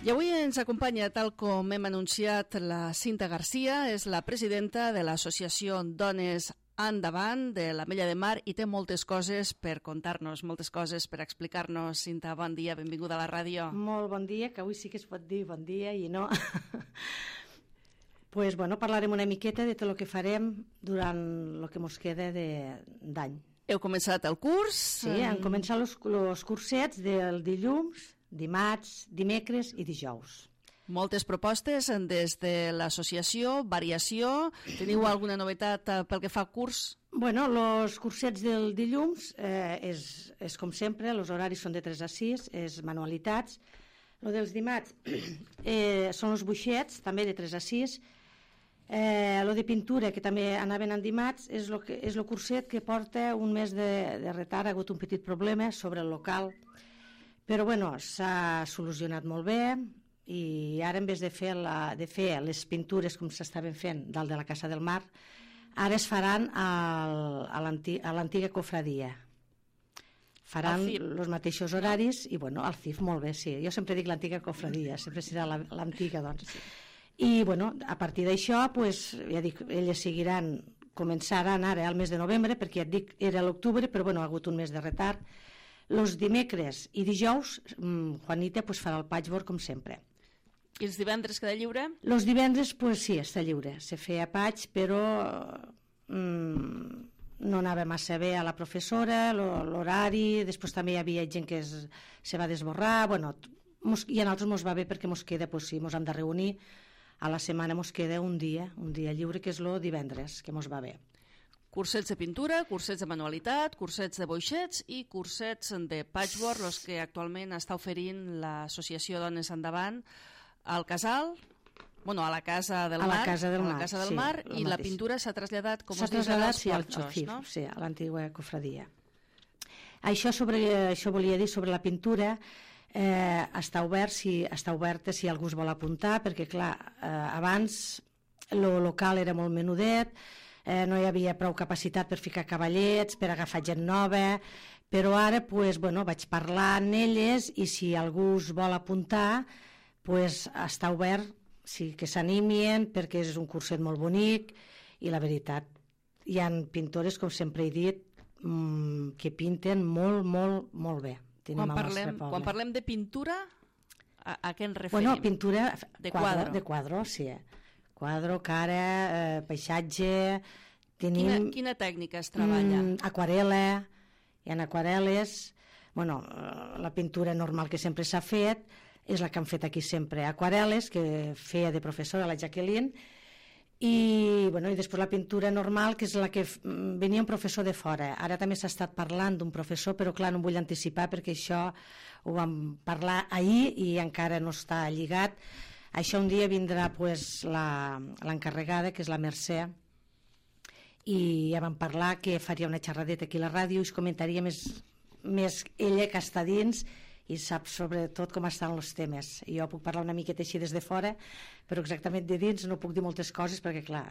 I avui ens acompanya, tal com hem anunciat, la Cinta Garcia, és la presidenta de l'associació Dones Endavant de l'Ametlla de Mar i té moltes coses per contar-nos, moltes coses per explicar-nos. Cinta, bon dia, benvinguda a la ràdio. Molt bon dia, que avui sí que es pot dir bon dia i no. Pues, bueno, parlarem una miqueta de tot el que farem durant el que ens queda d'any. Heu començat el curs? Sí, han començat els cursets del dilluns, dimarts, dimecres i dijous. Moltes propostes des de l'associació, variació. Teniu alguna novetat pel que fa al curs? Bueno, els cursets del dilluns és com sempre, els horaris són de 3 a 6, és manualitats. El dels dimarts són els buixets, també de 3 a 6. El de pintura, que també anaven en dimarts, és el curset que porta un mes de retard. Ha hagut un petit problema sobre el local, però bueno, s'ha solucionat molt bé i ara en vez de fer les pintures com s'estaven fent dalt de la Casa del Mar, ara es faran a l'antiga cofradia. Faran els mateixos horaris i bueno, al CIF molt bé, sí. Jo sempre dic l'antiga cofradia, sempre serà l'antiga, doncs. I bueno, a partir d'això, pues, ja dic, elles començaran ara al mes de novembre, perquè ja et dic, era l'octubre, però bueno, ha hagut un mes de retard. Els dimecres i dijous, Juanita pues, farà el patchwork com sempre. I els divendres queda lliure? Els divendres, pues, sí, està lliure. Se feia patch, però no anava massa bé a la professora, l'horari, després també hi havia gent que se va desborrar, bueno, i a nosaltres ens va bé perquè ens queda, pues, sí, ens hem de reunir, a la setmana ens queda un dia lliure, que és el divendres, que ens va bé. Cursets de pintura, cursets de manualitat, cursets de boixets i cursets de patchwork, els que actualment està oferint l'associació Dones Endavant al Casal, bueno, a la Casa del Mar, i la pintura s'ha traslladat, com us dius, als porxos, no? Sí, a l'antiga cofradia. Això volia dir sobre la pintura, està oberta si algú es vol apuntar, perquè clar, abans el local era molt menudet, no hi havia prou capacitat per ficar cavallets, per agafar gent nova, però ara pues, bueno, vaig parlar amb elles i si algú es vol apuntar pues, està obert, sí, que s'animin perquè és un curset molt bonic i la veritat, hi ha pintores, com sempre he dit, que pinten molt, molt, molt bé. Quan parlem de pintura, a què ens referim? Bueno, pintura de quadro. De quadro, sí. Quadro, cara, paisatge... Tenim, quina tècnica es treballa? Aquarela, hi ha aquarel·les, bueno, la pintura normal que sempre s'ha fet és la que han fet aquí sempre, aquarel·les, que feia de professora la Jacqueline, i després la pintura normal, que és la que venia un professor de fora. Ara també s'ha estat parlant d'un professor, però clar, no em vull anticipar perquè això ho vam parlar ahir i encara no està lligat. Això un dia vindrà pues, l'encarregada, que és la Mercè, i ja vam parlar que faria una xerradeta aquí a la ràdio i es comentaria més ella que està dins i sap sobretot com estan els temes. Jo puc parlar una miqueta així des de fora, però exactament de dins no puc dir moltes coses perquè, clar,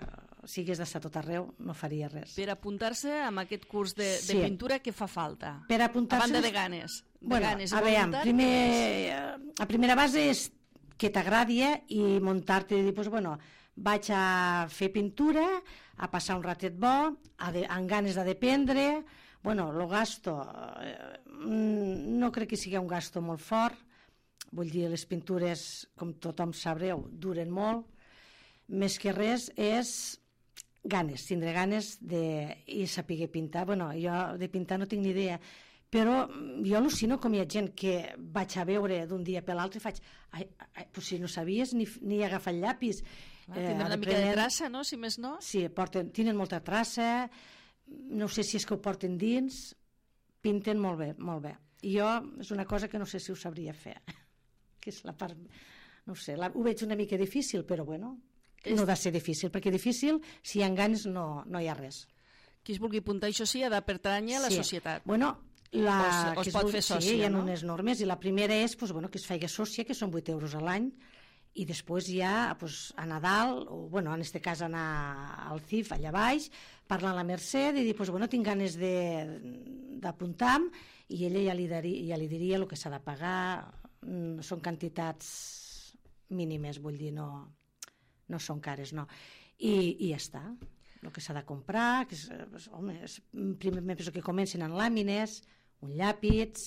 si hagués d'estar tot arreu no faria res. Per apuntar-se amb aquest curs de pintura, què fa falta? Per apuntar-se... A banda de ganes. A primera base és que t'agradi i muntar-te i dir, pues, bueno, vaig a fer pintura, a passar un ratet bo, amb ganes de dependre. Bueno, el gasto no crec que sigui un gasto molt fort, vull dir, les pintures, com tothom sabreu, duren molt, més que res és ganes, tindre ganes i saber pintar. Bueno, jo de pintar no tinc ni idea, però jo al·lucino com hi ha gent que vaig a veure d'un dia per l'altre i faig, pues si no sabies ni agafar el llapis. Tindran una mica de traça, no?, si més no? Sí, tenen molta traça, no sé si és que ho porten dins, pinten molt bé, molt bé. I jo és una cosa que no sé si ho sabria fer, que és la part, no sé, ho veig una mica difícil, però bueno, no ha de ser difícil, perquè difícil, si hi ha ganes, no hi ha res. Qui es vulgui apuntar, això sí, ha de pertànyer a la societat. Bueno, o es pot fer sòcia, sí, hi ha unes normes, i la primera és que es faci sòcia, que són 8 euros a l'any, i després ja a Nadal, o en aquest cas anar al CIF allà baix, parlar amb la Mercè i dir, tinc ganes d'apuntar-me, i ella ja li diria el que s'ha de pagar. Són quantitats mínimes, vull dir, no són cares, no. I ja està. El que s'ha de comprar, que home, primer penso que comencen amb làmines, un llàpid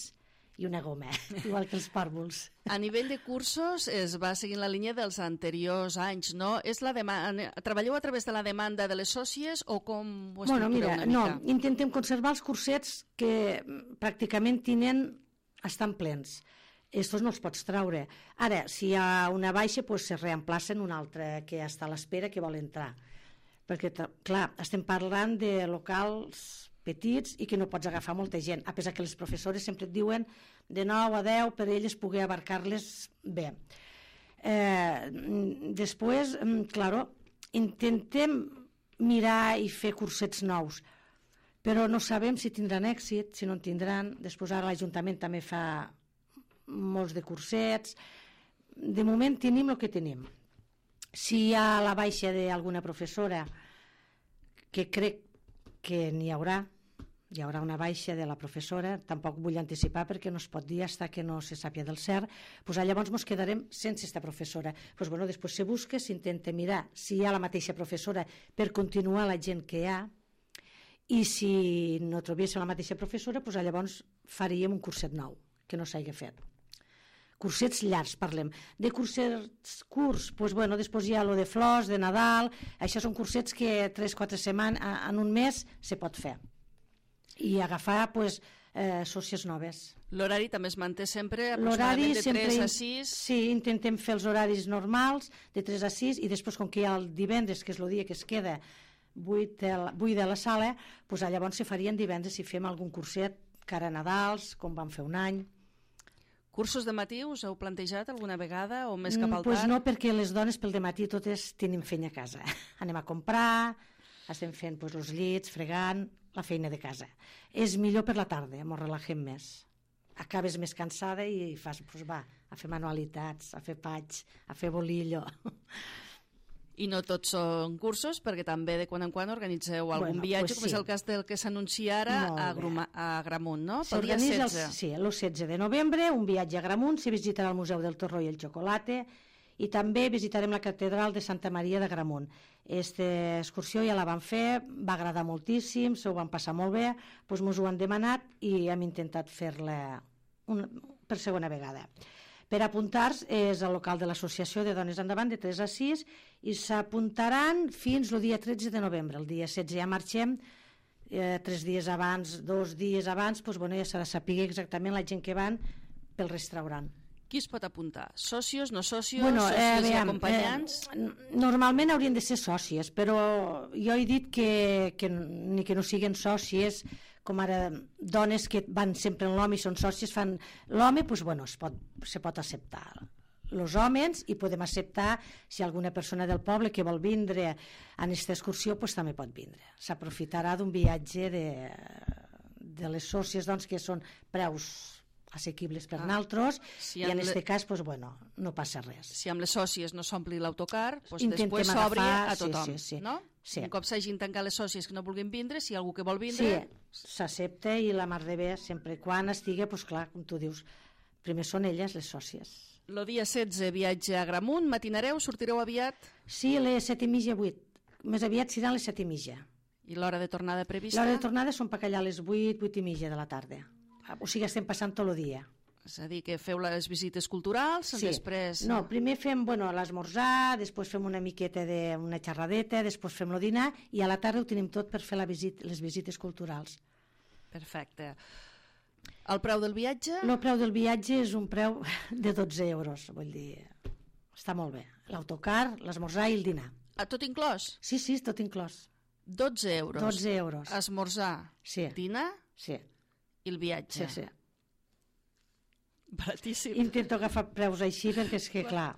i una goma, igual que els pàrvols. A nivell de cursos es va seguint la línia dels anteriors anys, no? Treballeu a través de la demanda de les sòcies o com ho estructureu una mica? No, intentem conservar els cursets que pràcticament estan plens. Estos no els pots traure. Ara, si hi ha una baixa, pues se reemplacen un altre que està a l'espera, que vol entrar. Perquè, clar, estem parlant de locals petits i que no pots agafar molta gent, a pesar que les professores sempre et diuen de 9 a 10 per elles poder abarcar-les bé. Després, claro, intentem mirar i fer cursets nous, però no sabem si tindran èxit, si no en tindran. Després ara l'Ajuntament també fa molts de cursets. De moment tenim el que tenim. Si hi ha la baixa d'alguna professora, que crec que n'hi haurà una baixa de la professora, tampoc vull anticipar perquè no es pot dir fins que no se sàpia del cert, doncs llavors ens quedarem sense aquesta professora. Doncs bueno, després se busca, s'intenta mirar si hi ha la mateixa professora per continuar la gent que hi ha, i si no trobéssim la mateixa professora, doncs llavors faríem un curset nou, que no s'hagi fet. Cursets llargs, parlem. De cursets curts, doncs bueno, després hi ha lo de flors, de Nadal, això són cursets que 3-4 setmanes, en un mes, se pot fer. I agafar, doncs, sòcies noves. L'horari també es manté sempre aproximadament de 3 a 6? Sí, intentem fer els horaris normals, de 3 a 6, i després, com que hi ha el divendres, que és el dia que es queda buit de la sala, doncs llavors se farien divendres si fem algun curset cara a Nadals, com vam fer un any. Cursos de matí us heu plantejat alguna vegada o més cap al tard? Doncs no, perquè les dones pel dematí totes tenim feina a casa. Anem a comprar, estem fent els llits, fregant, la feina de casa. És millor per la tarda, ens relaxem més. Acabes més cansada i fas, a fer manualitats, a fer paig, a fer bolillo. I no tots són cursos, perquè també de quan en quan organitzeu algun viatge, com és el cas del que s'anuncia ara a Agramunt, no? Pel dia 16. Sí, el 16 de novembre, un viatge a Agramunt, se visitarà el Museu del Torró i el Xocolate, i també visitarem la catedral de Santa Maria d'Agramunt. Aquesta excursió ja la vam fer, va agradar moltíssim, s'ho van passar molt bé, doncs ens ho han demanat i hem intentat fer-la per segona vegada. Per apuntar-se és al local de l'Associació de Dones Endavant de 3 a 6 i s'apuntaran fins el dia 13 de novembre. El dia 16 ja marxem, 3 dies abans, 2 dies abans, doncs ja s'ha de saber exactament la gent que van pel restaurant. Qui es pot apuntar? Sòcies, no sòcies, sòcies i acompanyants? Normalment haurien de ser sòcies, però jo he dit que ni que no siguin sòcies, com ara dones que van sempre en l'home i són sòcies, fan l'home, doncs se pot acceptar. Els homes, i podem acceptar si alguna persona del poble que vol vindre en aquesta excursió, doncs també pot vindre. S'aprofitarà d'un viatge de les sòcies, doncs, que són preus assequibles per nosaltres, i en aquest cas no passa res. Si amb les sòcies no s'ompli l'autocar, després s'obri a tothom, no? Un cop s'hagin tancat les sòcies que no vulguin vindre, si hi ha algú que vol vindre... Sí, s'accepta i la mar de bé, sempre quan estigui, doncs clar, com tu dius, primer són elles, les sòcies. El dia 16 viatge a Agramunt, matinareu, sortireu aviat? Sí, a les 7:30, 8. Més aviat seran les 7:30. I l'hora de tornada prevista? L'hora de tornada són per allà a les 8, 8:30 de la tarda. O sigui, estem passant tot el dia. És a dir, que feu les visites culturals, després... No, primer fem l'esmorzar, després fem una miqueta d'una xerradeta, després fem el dinar, i a la tarda ho tenim tot per fer les visites culturals. Perfecte. El preu del viatge? El preu del viatge és un preu de 12 euros, vull dir, està molt bé. L'autocar, l'esmorzar i el dinar. Tot inclòs? Sí, tot inclòs. 12 euros? 12 euros. Esmorzar, dinar? Sí. I el viatge? Sí. Baratíssim. Intento agafar preus així perquè és que, clar,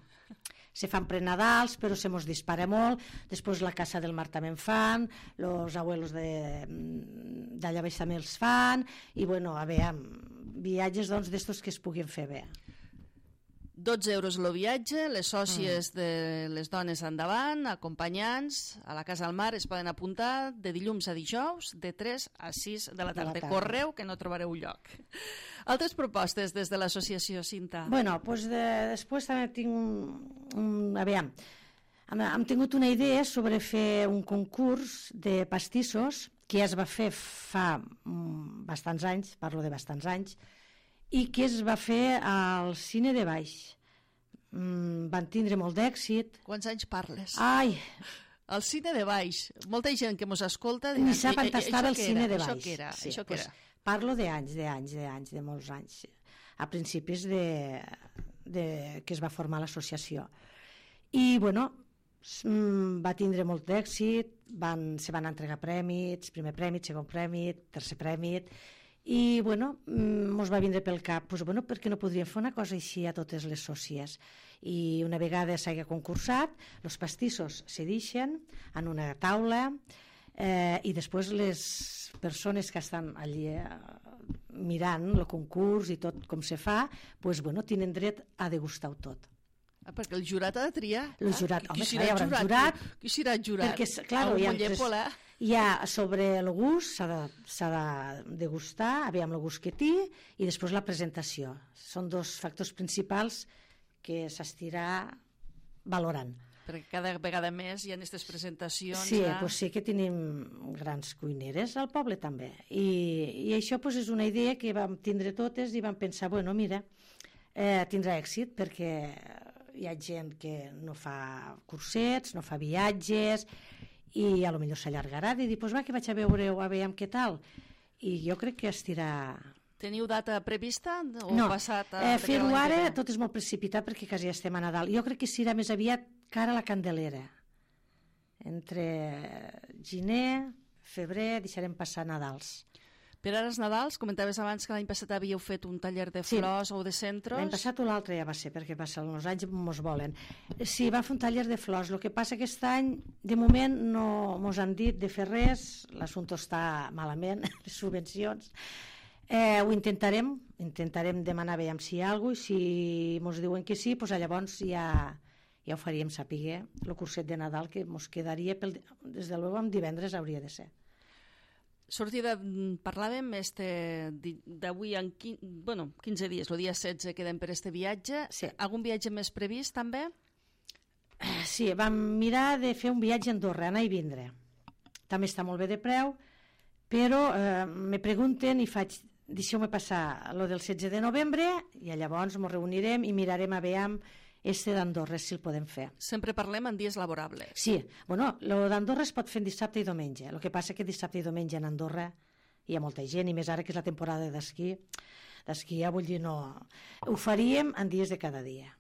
se fan prenadals, però se mos dispara molt. Després la Casa del Mar també en fan, els abuelos d'allà baix també els fan, i a veure, viatges d'estos que es puguin fer bé. 12 euros el viatge, les sòcies de les dones endavant, acompanyants, a la Casa del Mar es poden apuntar de dilluns a dijous, de 3 a 6 de la tarda. Correu, que no trobareu lloc. Altres propostes des de l'associació, Cinta? Bueno, doncs després també tinc aviam, hem tingut una idea sobre fer un concurs de pastissos que ja es va fer fa bastants anys, parlo de bastants anys, i que es va fer al Cine de Baix. Van tindre molt d'èxit. Quants anys parles? Ai! El Cine de Baix. Molta gent que mos escolta... Ni sap on estava el Cine de Baix. Això què era? Sí, això què era? Parlo d'anys, de molts anys. A principis que es va formar l'associació. I, bueno, va tindre molt d'èxit, se van entregar prèmits, primer prèmit, segon prèmit, tercer prèmit, i, bueno, mos va vindre pel cap, doncs, bueno, per què no podríem fer una cosa així a totes les sòcies? I una vegada s'hagi concursat, els pastissos se deixen en una taula, i després les persones que estan allí mirant el concurs i tot com se fa, doncs, bueno, tenen dret a degustar-ho tot. Perquè el jurat ha de triar. El jurat, home, hi haurà un jurat. Qui serà el jurat? Perquè, clar, hi ha sobre el gust, s'ha de degustar, aviam el gust que té, i després la presentació. Són dos factors principals que s'estirà valorant. Perquè cada vegada més hi ha aquestes presentacions. Sí, doncs sí que tenim grans cuineres al poble també. I això doncs, és una idea que vam tindre totes i vam pensar, bueno, mira, tindrà èxit perquè hi ha gent que no fa cursets, no fa viatges, i a lo millor s'allargarà de dir, doncs va, que vaig a veure-ho, a veure què tal. I jo crec que estirà... Teniu data prevista? O no, fer-ho ara tot és molt precipitat perquè quasi ja estem a Nadal. Jo crec que serà més aviat cara a la Candelera. Entre gener, febrer, deixarem passar Nadals. Per ara els Nadals, comentaves abans que l'any passat havíeu fet un taller de flors o de centros. L'any passat o l'altre ja va ser, perquè passen els anys mos volen. Sí, va fer un taller de flors. El que passa que aquest any, de moment, no mos han dit de fer res, l'assumpte està malament, les subvencions. Ho intentarem demanar veiem si hi ha alguna cosa, i si mos diuen que sí, doncs llavors ja ho faríem saber, el curset de Nadal que mos quedaria, des de l'hora amb divendres hauria de ser. Parlàvem d'avui en 15 dies, el dia 16 quedem per este viatge. Sí. Algun viatge més previst també? Sí, vam mirar de fer un viatge a Andorra, anar i vindre. També està molt bé de preu, però me pregunten i faig, deixeu-me passar lo del 16 de novembre i llavors ens reunirem i mirarem a veure d'Andorra, si el podem fer. Sempre parlem en dies laborables. Sí, bueno, el d'Andorra es pot fer en dissabte i diumenge. El que passa que dissabte i diumenge en Andorra hi ha molta gent, i més ara que és la temporada d'esquí. D'esquí, vull dir, no... Ho faríem en dies de cada dia.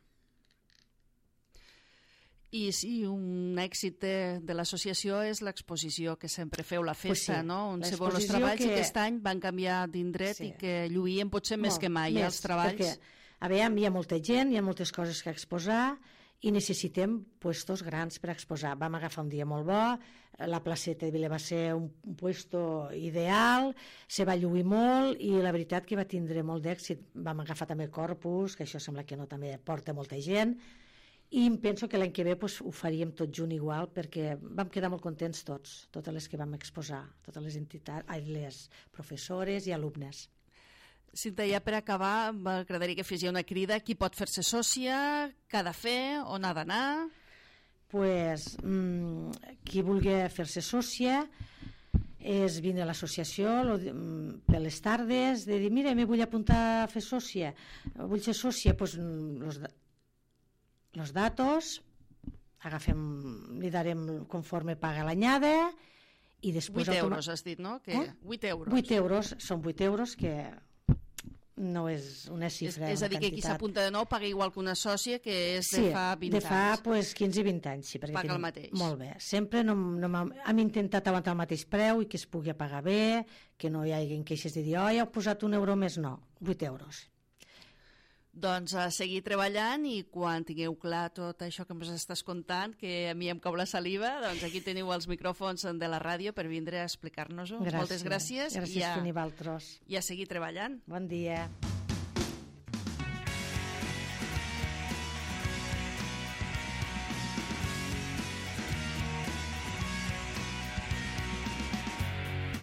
I sí, un èxit de l'associació és l'exposició que sempre feu, la festa, sí, no? On se veuen els treballs i aquest any van canviar d'indret i que lluïen potser més que mai els treballs. Perquè a veure, hi ha molta gent, hi ha moltes coses que exposar i necessitem puestos grans per exposar. Vam agafar un dia molt bo, la placeta de Vila va ser un puesto ideal, se va lluir molt i la veritat que va tindre molt d'èxit. Vam agafar també Corpus, que això sembla que no també porta molta gent, i penso que l'any que ve ho faríem tot junt igual, perquè vam quedar molt contents tots, totes les que vam exposar, totes les entitats, les professores i alumnes. Cinta, ja per acabar, m'agradaria que fes una crida. Qui pot fer-se sòcia? Què ha de fer? On ha d'anar? Pues, qui vulgui fer-se sòcia és vindre a l'associació per les tardes, de dir, mira, me vull apuntar a fer sòcia. Vull ser sòcia, doncs los datos, li darem conforme paga l'anyada, i després... 8 euros, has dit, no? 8 euros. 8 euros, són 8 euros que... no és una xifra, és a dir, que qui s'apunta de nou paga igual que una sòcia que és de fa 20 anys. Sí, de fa 15 i 20 anys. Sí, paga el mateix. Molt bé. Sempre hem intentat aguantar el mateix preu i que es pugui pagar bé, que no hi hagi queixes de dir, oh, ja heu posat un euro més, no, 8 euros. Doncs a seguir treballant, i quan tingueu clar tot això que ens estàs contant, que a mi em cau la saliva, doncs aquí teniu els micròfons de la ràdio per vindre a explicar-nos-ho. Moltes gràcies. Gràcies a vosaltres. I a seguir treballant. Bon dia.